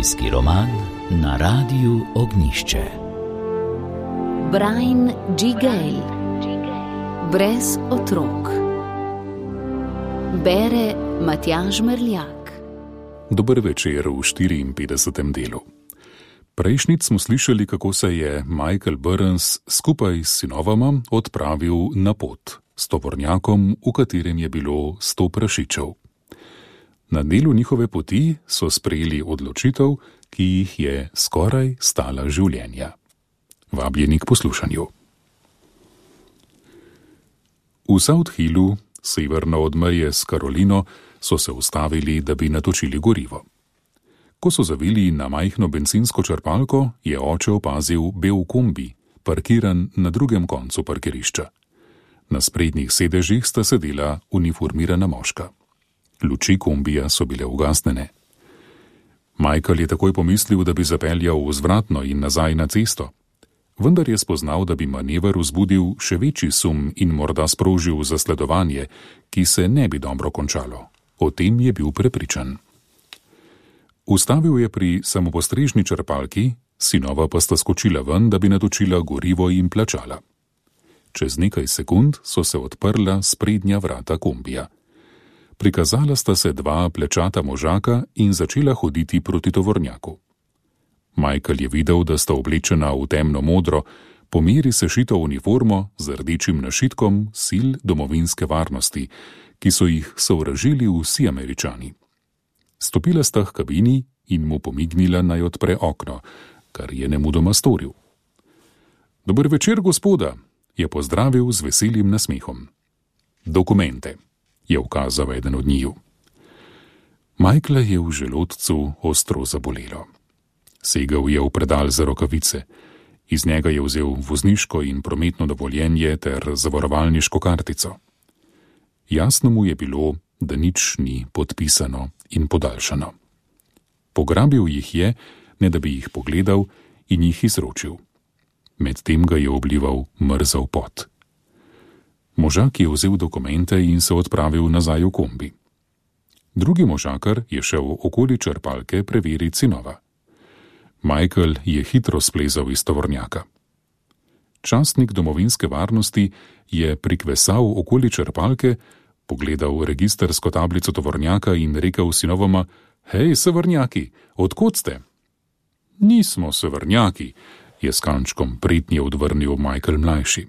Družinski roman na Radiu Ognjišče. Brian G. Gale. Brez otrok. Bere Matjaž Merljak. Dober večer v 54. delu. Prejšnjič smo slišali, kako se je Michael Burns skupaj s sinovama odpravil na pot s tovornjakom, v katerem je bilo 100 prašičev. Na delu njihove poti so sprejeli odločitev, ki jih je skoraj stala življenja. Vabljeni k poslušanju. V South Hillu, severno od meje s Karolino, so se ustavili, da bi natočili gorivo. Ko so zavili na majhno bencinsko črpalko, je oče opazil bel kombi, parkiran na drugem koncu parkirišča. Na sprednjih sedežih sta sedela uniformirana moška. Luči kombija so bile ugasnjene. Michael je takoj pomislil, da bi zapeljal vzvratno in nazaj na cesto. Vendar je spoznal, da bi manever vzbudil še večji sum in morda sprožil zasledovanje, ki se ne bi dobro končalo. O tem je bil prepričan. Ustavil je pri samopostrežni črpalki, sinova pa sta skočila ven, da bi natočila gorivo in plačala. Čez nekaj sekund so se odprla sprednja vrata kombija. Prikazala sta se dva plečata možaka in začela hoditi proti tovornjaku. Michael je videl, da sta oblečena v temno modro, po meri sešito uniformo z rdečim našitkom sil domovinske varnosti, ki so jih sovražili vsi Američani. Stopila sta k kabini in mu pomignila, naj odpre okno, kar je nemudoma storil. Dober večer, gospoda, je pozdravil z veselim nasmehom. Dokumente, je ukazal eden od njiju. Michaela je v želodcu ostro zabolelo. Segel je v predal za rokavice. Iz njega je vzel vozniško in prometno dovoljenje ter zavarovalniško kartico. Jasno mu je bilo, da nič ni podpisano in podaljšano. Pograbil jih je, ne da bi jih pogledal, in jih izročil. Medtem ga je oblival mrzav pot. Možak je vzel dokumente in se odpravil nazaj v kombi. Drugi možakar je šel okoli črpalke preveriti sinova. Michael je hitro splezal iz tovornjaka. Častnik domovinske varnosti je prikvesal okoli črpalke, pogledal registrsko tablico tovornjaka in rekel sinovoma: Hej, severnjaki, odkot ste? Nismo severnjaki, je s kančkom pretnje odvrnil Michael mlajši.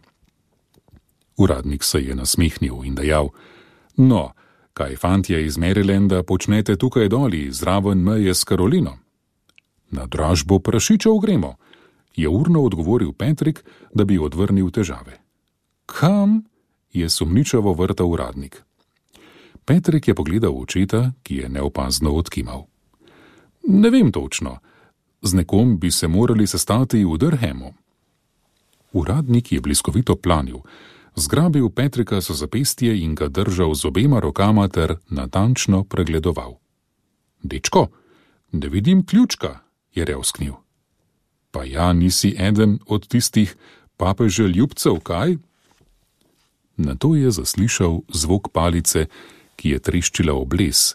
Uradnik se je nasmehnil in dejal: No, kaj fantje iz Marylanda počnete tukaj doli, zraven meje s Karolino? Na dražbo prašičev gremo, je urno odgovoril Patrick, da bi odvrnil težave. Kam? Je sumničavo vrtal uradnik. Patrick je pogledal očeta, ki je neopazno odkimal. Ne vem točno, z nekom bi se morali sestati v Durhamu. Uradnik je bliskovito planil, zgrabil Patricka za zapestje in ga držal z obema rokama ter natančno pregledoval. Dečko, ne vidim ključka, je revsknil. Pa ja, nisi eden od tistih papeže ljubcev, kaj? Nato je zaslišal zvok palice, ki je treščila v bles,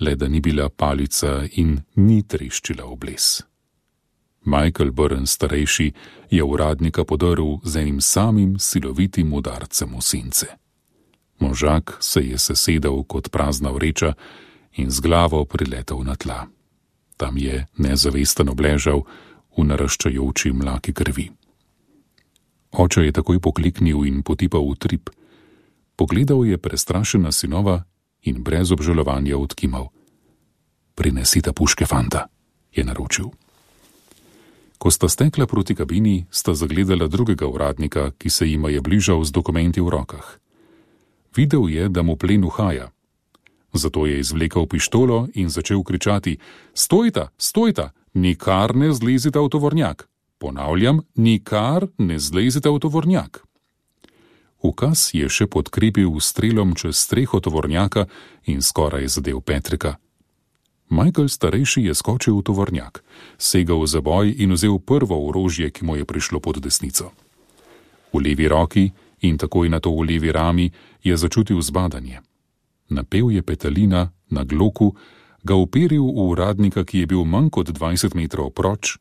le da ni bila palica in ni treščila v bles. Michael Burns starejši je uradnika podrl z enim samim silovitim udarcem v sence. Možak se je sesedel kot prazna vreča in z glavo priletel na tla. Tam je nezavesten obležal v naraščajoči mlaki krvi. Oče je takoj pokliknil in potipal v trip. Pogledal je prestrašena sinova in brez obžalovanja odkimal. Prinesite puške, fanta, je naročil. Ko sta stekla proti kabini, sta zagledala drugega uradnika, ki se jima je bližal z dokumenti v rokah. Videl je, da mu plen uhaja. Zato je izvlekel pištolo in začel kričati: Stojta, stojta, nikar ne zlezite v tovornjak. Ponavljam, nikar ne zlezite v tovornjak. Ukaz je še podkrepil strelom čez streho tovornjaka in skoraj zadel Patricka. Michael starejši je skočil v tovornjak, segel v zaboj in vzel prvo orožje, ki mu je prišlo pod desnico. V levi roki in takoj nato v levi rami je začutil zbadanje. Napel je petelina na gloku, ga uperil v uradnika, ki je bil manj kot 20 metrov proč,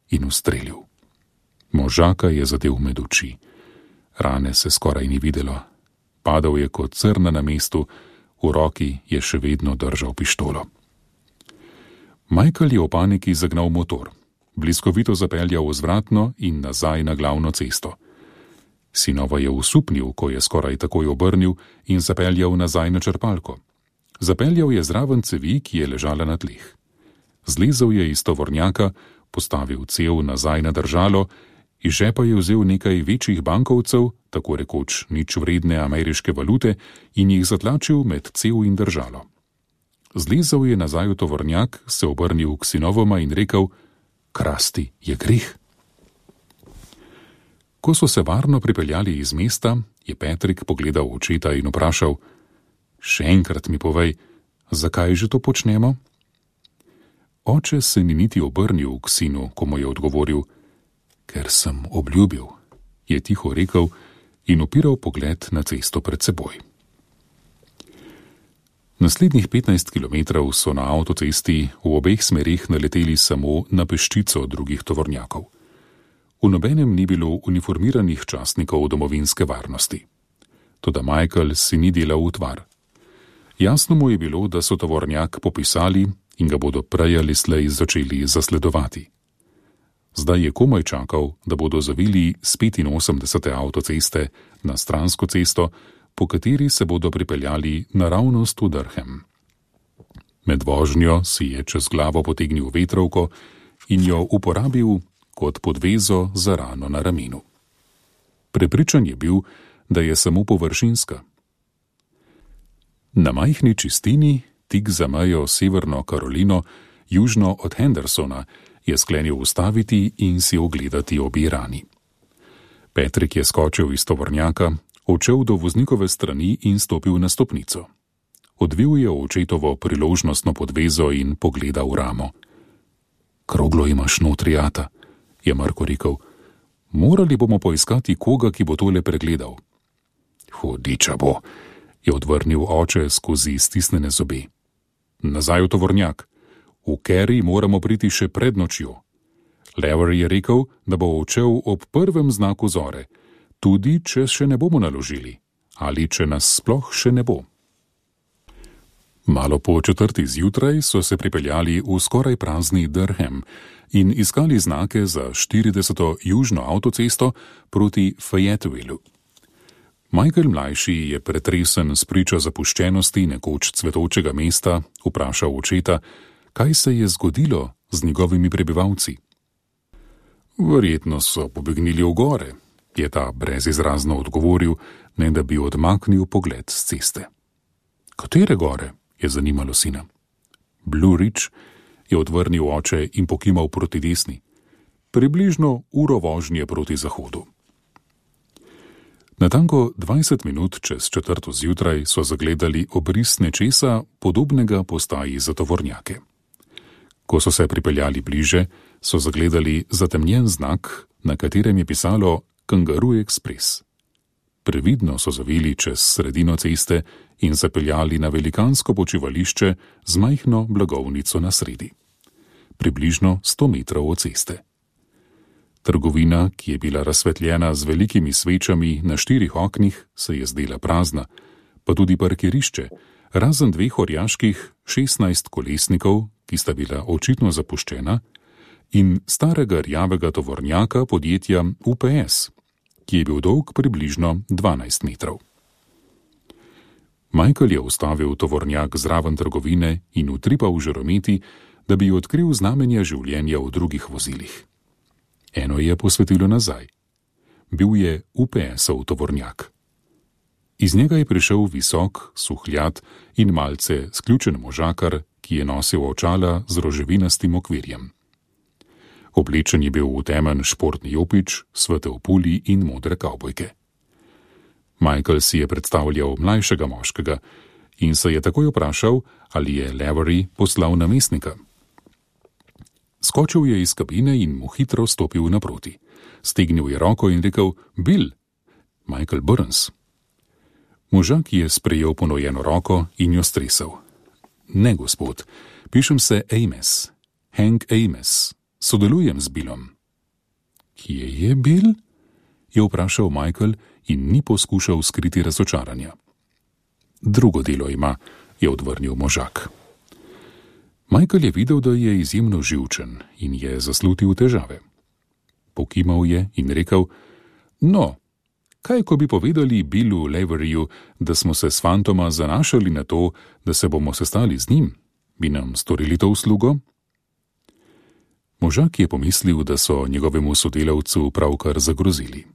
in ustrelil. Možaka je zadel med oči. Rane se skoraj ni videlo. Padal je kot crna na mestu, v roki je še vedno držal pištolo. Michael je v paniki zagnal motor, bliskovito zapeljal vzvratno in nazaj na glavno cesto. Sinova je usupnil, ko je skoraj takoj obrnil in zapeljal nazaj na črpalko. Zapeljal je zraven cevi, ki je ležala na tleh. Zlezel je iz tovornjaka, postavil cev nazaj na držalo, iz žepa je vzel nekaj večjih bankovcev, tako rekoč nič vredne ameriške valute, in jih zatlačil med cev in držalo. Zlezel je nazaj v tovornjak, se obrnil k sinovoma in rekel: "Krasti je greh." Ko so se varno pripeljali iz mesta, je Patrick pogledal očeta in vprašal: "Še enkrat mi povej, zakaj že to počnemo?" Oče se ni niti obrnil k sinu, ko mu je odgovoril: "Ker sem obljubil," je tiho rekel in upiral pogled na cesto pred seboj. Naslednjih 15 kilometrov so na avtocesti v obeh smerih naleteli samo na peščico drugih tovornjakov. V nobenem ni bilo uniformiranih častnikov domovinske varnosti. Toda Michael si ni delal utvar. Jasno mu je bilo, da so tovornjak popisali in ga bodo prej ali slej začeli zasledovati. Zdaj je komaj čakal, da bodo zavili s 85. avtoceste na stransko cesto, po kateri se bodo pripeljali naravnost v Durham. Med vožnjo si je čez glavo potegnil vetrovko in jo uporabil kot podvezo za rano na ramenu. Prepričan je bil, da je samo površinska. Na majhni čistini, tik za mejo Severno Karolino, južno od Hendersona, je sklenil ustaviti in si ogledati obe rani. Patrick je skočil iz tovornjaka, odšel do voznikove strani in stopil na stopnico. Odvil je očetovo priložnostno podvezo in pogledal ramo. "Kroglo imaš notri, ata," je Marko rekel. "Morali bomo poiskati koga, ki bo tole pregledal." "Hudiča bo," je odvrnil oče skozi stisnjene zobe. "Nazaj v tovornjak. V Kerry moramo priti še pred nočjo." Lavery je rekel, da bo odšel ob prvem znaku zore, tudi če še ne bomo naložili, ali če nas sploh še ne bo. Malo po 4. zjutraj so se pripeljali v skoraj prazni Durham in iskali znake za 40. južno avtocesto proti Fayettevilleu. Michael mlajši je pretresen s pričo zapuščenosti nekoč cvetočega mesta vprašal očeta, kaj se je zgodilo z njegovimi prebivalci. "Verjetno so pobegnili v gore," je ta brezizrazno odgovoril, ne da bi odmaknil pogled s ceste. "Katere gore?" je zanimalo sina. "Blue Ridge," je odvrnil oče in pokimal proti desni. "Približno uro vožnje proti zahodu." Natanko 20 minut čez 4. zjutraj so zagledali obris nečesa podobnega postaji za tovornjake. Ko so se pripeljali bliže, so zagledali zatemnjen znak, na katerem je pisalo Kangaroo Express. Previdno so zavili čez sredino ceste in zapeljali na velikansko počivališče z majhno blagovnico na sredi. Približno 100 metrov od ceste. Trgovina, ki je bila razsvetljena z velikimi svečami na 4 oknih, se je zdela prazna, pa tudi parkirišče, razen 2 orjaških 16 kolesnikov, ki sta bila očitno zapuščena, in starega rjavega tovornjaka podjetja UPS, ki je bil dolg približno 12 metrov. Michael je ustavil tovornjak zraven trgovine in utripal žarometi, da bi odkril znamenja življenja v drugih vozilih. Eno je posvetilo nazaj. Bil je UPS-ov tovornjak. Iz njega je prišel visok, suhljat in malce sključen možakar, ki je nosil očala z roževinastim okvirjem. Oblečen je bil v temen športni jopič, svetel puli in modre kavbojke. Michael si je predstavljal mlajšega moškega in se je takoj vprašal, ali je Lavery poslal namestnika. Skočil je iz kabine in mu hitro stopil naproti. Stegnil je roko in rekel: "Bill, Michael Burns." Možak je sprejel ponujeno roko in jo stresel. "Ne, gospod, Pišem se Ames, Hank Ames, sodelujem z Billom. Kje je Bill? Je vprašal Michael in ni poskušal skriti razočaranja. Drugo delo ima, je odvrnil možak. Michael je videl, da je izjemno živčen in je zaslutil težave. Pokimal je in rekel: No, kaj ko bi povedali Billu Laveryju, da smo se s fantoma zanašali na to, da se bomo sestali z njim? Bi nam storili to uslugo? Možak je pomislil, da so njegovemu sodelavcu pravkar zagrozili.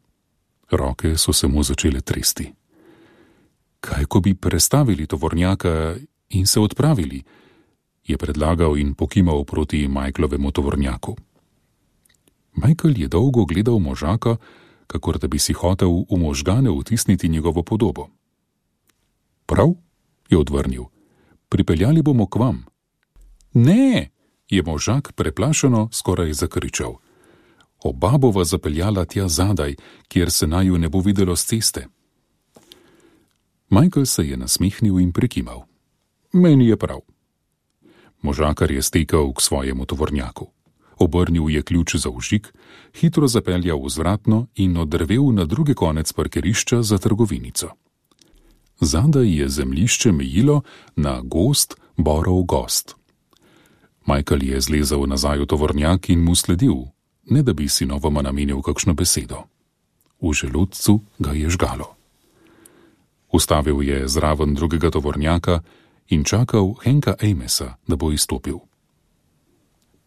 Roke so se mu začele tresti. Kaj ko bi prestavili tovornjaka in se odpravili, je predlagal in pokimal proti Michaelovemu tovornjaku. Michael je dolgo gledal možaka, kakor da bi si hotel v možgane vtisniti njegovo podobo. Prav, je odvrnil, pripeljali bomo k vam. Ne, je možak preplašeno skoraj zakričal. Oba bova zapeljala tja zadaj, kjer se naju ne bo videlo s ceste. Michael se je nasmihnil in prikimal. Meni je prav. Možakar je stekel k svojemu tovornjaku. Obrnil je ključ za vžig, hitro zapeljal vzvratno in odrvel na drugi konec parkirišča za trgovinico. Zadaj je zemljišče mejilo na gost borov gozd. Michael je zlezel nazaj v tovornjak in mu sledil, ne da bi sinovoma namenil kakšno besedo. V želodcu ga je žgalo. Ustavil je zraven drugega tovornjaka in čakal Hanka Amesa, da bo izstopil.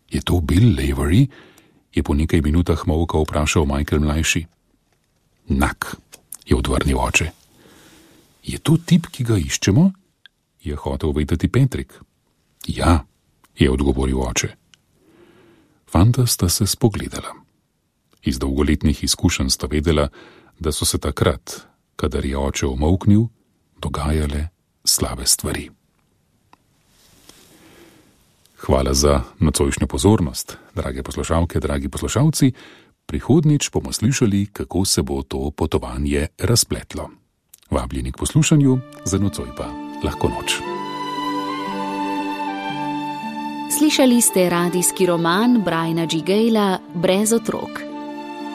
Je to Bill Lavery? Je po nekaj minutah molka vprašal Michael mlajši. Nak, je odvrnil oče. Je to tip, ki ga iščemo? Je hotel vedeti Patrick. Ja, je odgovoril oče. Fanta sta se spogledala. Iz dolgoletnih izkušenj sta vedela, da so se takrat, kadar je oče omolknil, dogajale slabe stvari. Hvala za nocojšnjo pozornost, drage poslušalke, dragi poslušalci. Prihodnjič bomo slišali, kako se bo to potovanje razpletlo. Vabljeni k poslušanju, za nocoj pa lahko noč. Slišali ste radijski roman Briana G. Gayla Brez otrok.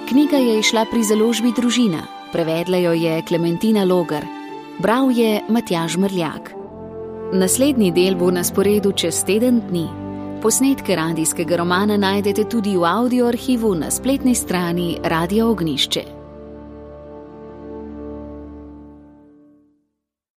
Knjiga je izšla pri založbi Družina, prevedla jo je Klementina Logar, bral je Matjaž Mrljak. Naslednji del bo na sporedu čez teden dni. Posnetke radijskega romana najdete tudi v audio arhivu na spletni strani Radia Ognjišče.